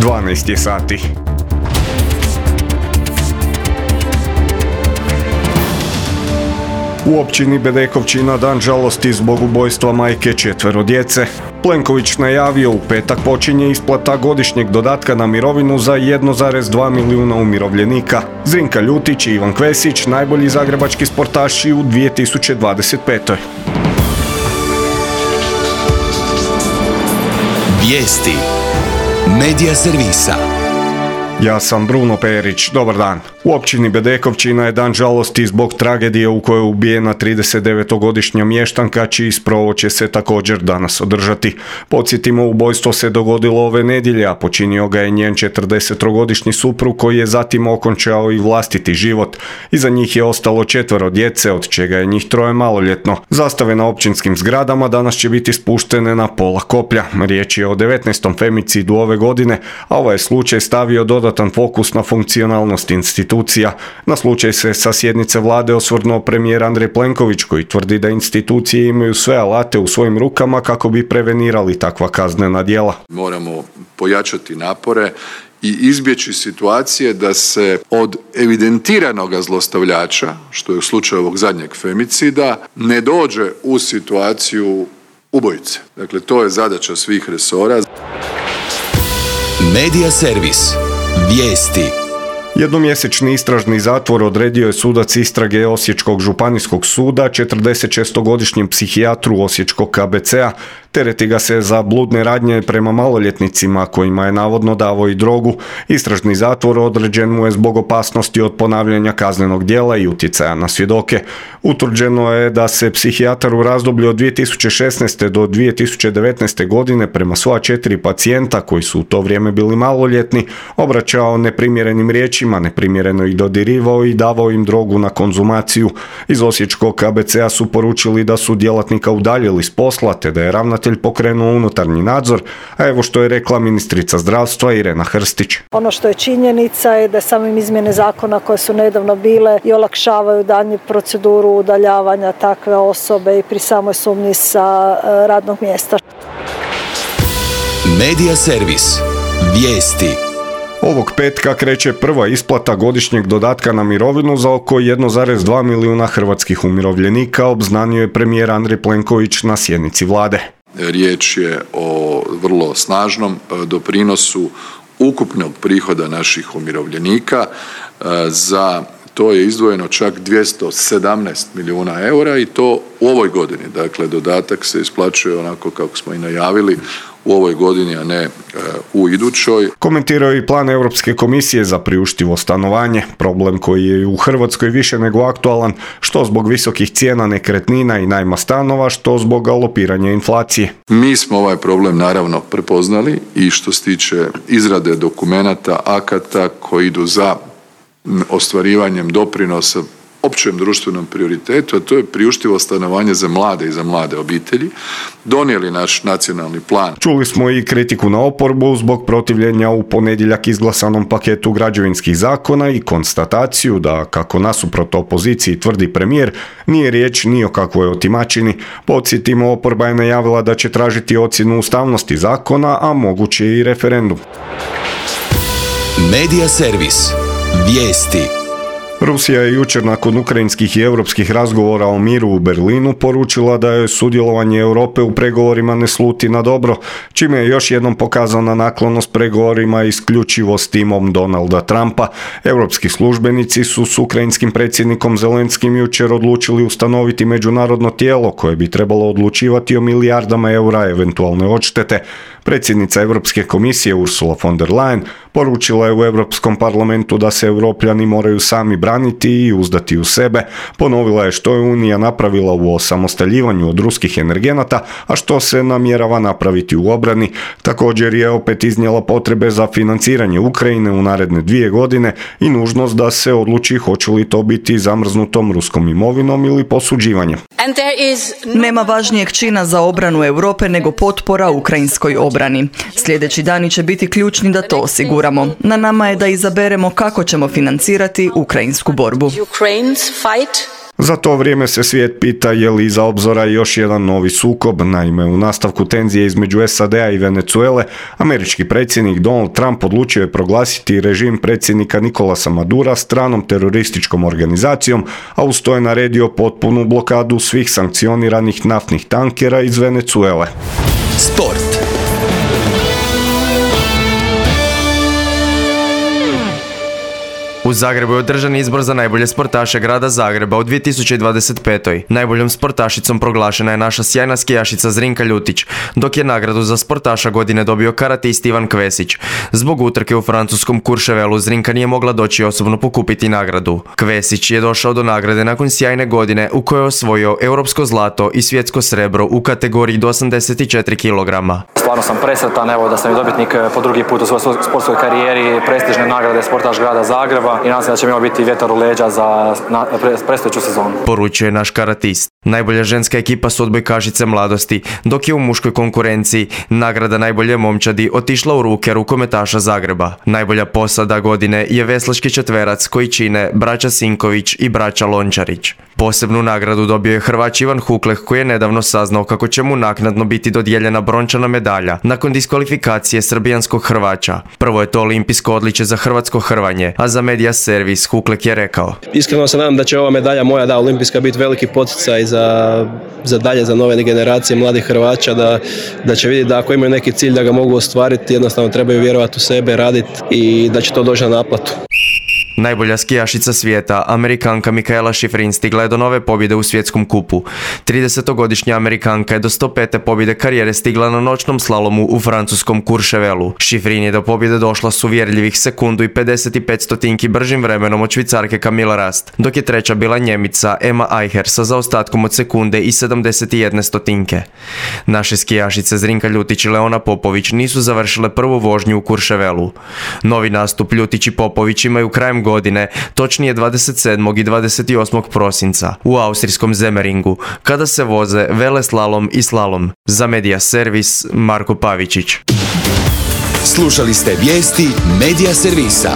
12 je sati. U općini Bedekovčina dan žalosti zbog ubojstva majke 4 djece. Plenković najavio u petak počinje isplata godišnjeg dodatka na mirovinu za 1,2 milijuna umirovljenika. Zrinka Ljutić i Ivan Kvesić najbolji zagrebački sportaši u 2025. Vijesti Medija servisa. Ja sam Bruno Perić, dobar dan. U općini Bedekovčina je dan žalosti zbog tragedije u kojoj je ubijena 39-godišnja mještanka, čiji sprov će se također danas održati. Podsjetimo, ubojstvo se dogodilo ove nedjelje, a počinio ga je njen 40-godišnji suprug koji je zatim okončao i vlastiti život. Iza njih je ostalo 4 djece, od čega je njih 3 maloljetno. Zastave na općinskim zgradama danas će biti spuštene na pola koplja. Riječ je o 19. femicidu ove godine, a ovaj slučaj stavio dodatan fokus na funkcionalnost institucija. Na slučaj se sa sjednice vlade osvrnuo premijer Andrej Plenković, koji tvrdi da institucije imaju sve alate u svojim rukama kako bi prevenirali takva kaznena djela. Moramo pojačati napore i izbjeći situacije da se od evidentiranog zlostavljača, što je u slučaju ovog zadnjeg femicida, ne dođe u situaciju ubojice. Dakle, to je zadaća svih resora. Medija servis. Vijesti. Jednomjesečni istražni zatvor odredio je sudac istrage Osječkog županijskog suda 46-godišnjem psihijatru Osječkog KBC-a. Tereti ga se za bludne radnje prema maloljetnicima kojima je navodno davao i drogu. Istražni zatvor određen mu je zbog opasnosti od ponavljanja kaznenog djela i utjecaja na svjedoke. Utvrđeno je da se psihijatar u razdoblju od 2016. do 2019. godine prema sva 4 pacijenta koji su u to vrijeme bili maloljetni obraćao neprimjerenim riječima, neprimjereno ih dodirivao i davao im drogu na konzumaciju. Iz Osječkog KBC-a su poručili da su djelatnika udaljili s posla te da je ravnatelj pokrenuo unutarnji nadzor, a evo što je rekla ministrica zdravstva Irena Hrstić. Ono što je činjenica je da samim izmjene zakona koje su nedavno bile i olakšavaju daljnju proceduru udaljavanja takve osobe i pri samoj sumnji sa radnog mjesta. Medija servis. Vijesti. Ovog petka kreće prva isplata godišnjeg dodatka na mirovinu za oko 1,2 milijuna hrvatskih umirovljenika, obznanio je premijer Andrej Plenković na sjednici vlade. Riječ je o vrlo snažnom doprinosu ukupnog prihoda naših umirovljenika. Za to je izdvojeno čak 217 milijuna eura i to u ovoj godini. Dakle, dodatak se isplaćuje onako kako smo i najavili u ovoj godini, a ne u idućoj. Komentirao je i plan Europske komisije za priuštivo stanovanje, problem koji je u Hrvatskoj više nego aktualan, što zbog visokih cijena nekretnina i najma stanova, što zbog galopiranja inflacije. Mi smo ovaj problem naravno prepoznali i što se tiče izrade dokumenata, akata koji idu za ostvarivanjem doprinosa općem društvenom prioritetu, a to je priuštivo stanovanje za mlade i za mlade obitelji, donijeli naš nacionalni plan. Čuli smo i kritiku na oporbu zbog protivljenja u ponedjeljak izglasanom paketu građevinskih zakona i konstataciju da, kako nasuprot opoziciji tvrdi premijer, nije riječ ni o kakvoj otimačini. Podsjetimo, oporba je najavila da će tražiti ocjenu ustavnosti zakona, a moguće i referendum. Medija servis. Vijesti. Rusija je jučer nakon ukrajinskih i europskih razgovora o miru u Berlinu poručila da je sudjelovanje Europe u pregovorima ne sluti na dobro, čime je još jednom pokazana naklonost pregovorima isključivo s timom Donalda Trumpa. Europski službenici su s ukrajinskim predsjednikom Zelenskim jučer odlučili ustanoviti međunarodno tijelo koje bi trebalo odlučivati o milijardama eura eventualne odštete. Predsjednica Europske komisije Ursula von der Leyen poručila je u Europskom parlamentu da se Europljani moraju sami braniti i uzdati u sebe. Ponovila je što je Unija napravila u osamostaljivanju od ruskih energenata, a što se namjerava napraviti u obrani. Također je opet iznijela potrebe za financiranje Ukrajine u naredne 2 godine i nužnost da se odluči hoće li to biti zamrznutom ruskom imovinom ili posuđivanjem. Nema važnijeg čina za obranu Europe nego potpora ukrajinskoj obrani. Sljedeći dani će biti ključni da to osiguramo. Na nama je da izaberemo kako ćemo financirati ukrajinsku borbu. Za to vrijeme se svijet pita je li iza obzora još jedan novi sukob. Naime, u nastavku tenzije između SAD-a i Venezuele, američki predsjednik Donald Trump odlučio je proglasiti režim predsjednika Nicolasa Madura stranom terorističkom organizacijom, a uz to je naredio potpunu blokadu svih sankcioniranih naftnih tankera iz Venezuele. Sport. U Zagrebu je održan izbor za najbolje sportaše grada Zagreba u 2025. Najboljom sportašicom proglašena je naša sjajna skijašica Zrinka Ljutić, dok je nagradu za sportaša godine dobio karatist Ivan Kvesić. Zbog utrke u francuskom Courchevelu Zrinka nije mogla doći osobno pokupiti nagradu. Kvesić je došao do nagrade nakon sjajne godine u kojoj je osvojio europsko zlato i svjetsko srebro u kategoriji do 84 kg. Stvarno sam presretan da sam i dobitnik po drugi put u svojoj sportskoj karijeri prestižne nagrade sportaš grada Zagreba i nadam se da će mi ovo biti vjetar u leđa za predstojeću sezonu. Poručuje naš karatist. Najbolja ženska ekipa su odbojkašice mladosti, dok je u muškoj konkurenciji nagrada najbolje momčadi otišla u ruke rukometaša Zagreba. Najbolja posada godine je veslački četverac koji čine braća Sinković i braća Lončarić. Posebnu nagradu dobio je Hrvač Ivan Hukleh koji je nedavno saznao kako će mu naknadno biti dodijeljena brončana medalja nakon diskvalifikacije srbijanskog Hrvača. Prvo je to olimpijsko odličje za hrvatsko hrvanje, a za Media Servis Hukleh je rekao: Iskreno se nadam da će ova medalja moja, olimpijska, biti veliki poticaj za dalje, za nove generacije mladih Hrvača, da će vidjeti da ako imaju neki cilj da ga mogu ostvariti, jednostavno trebaju vjerovati u sebe, raditi i da će to doći na naplatu. Najbolja skijašica svijeta, Amerikanka Mikaela Šifrin, stigla je do nove pobjede u svjetskom kupu. 30-godišnja Amerikanka je do 105. pobjede karijere stigla na noćnom slalomu u francuskom Courchevelu. Šifrin je do pobjede došla s uvjerljivih sekundu i 55 stotinki bržim vremenom od Švicarke Camilla Rast, dok je treća bila Njemica Emma Eicher sa zaostatkom od sekunde i 71 stotinke. Naše skijašice Zrinka Ljutić i Leona Popović nisu završile prvu vožnju u Courchevelu. Novi nastup Ljutić i Popović imaju krajem godine, točnije 27. i 28. prosinca u austrijskom Zemeringu, kada se voze veleslalom i slalom. Za Media Servis Marko Pavičić. Slušali ste vijesti Media Servisa.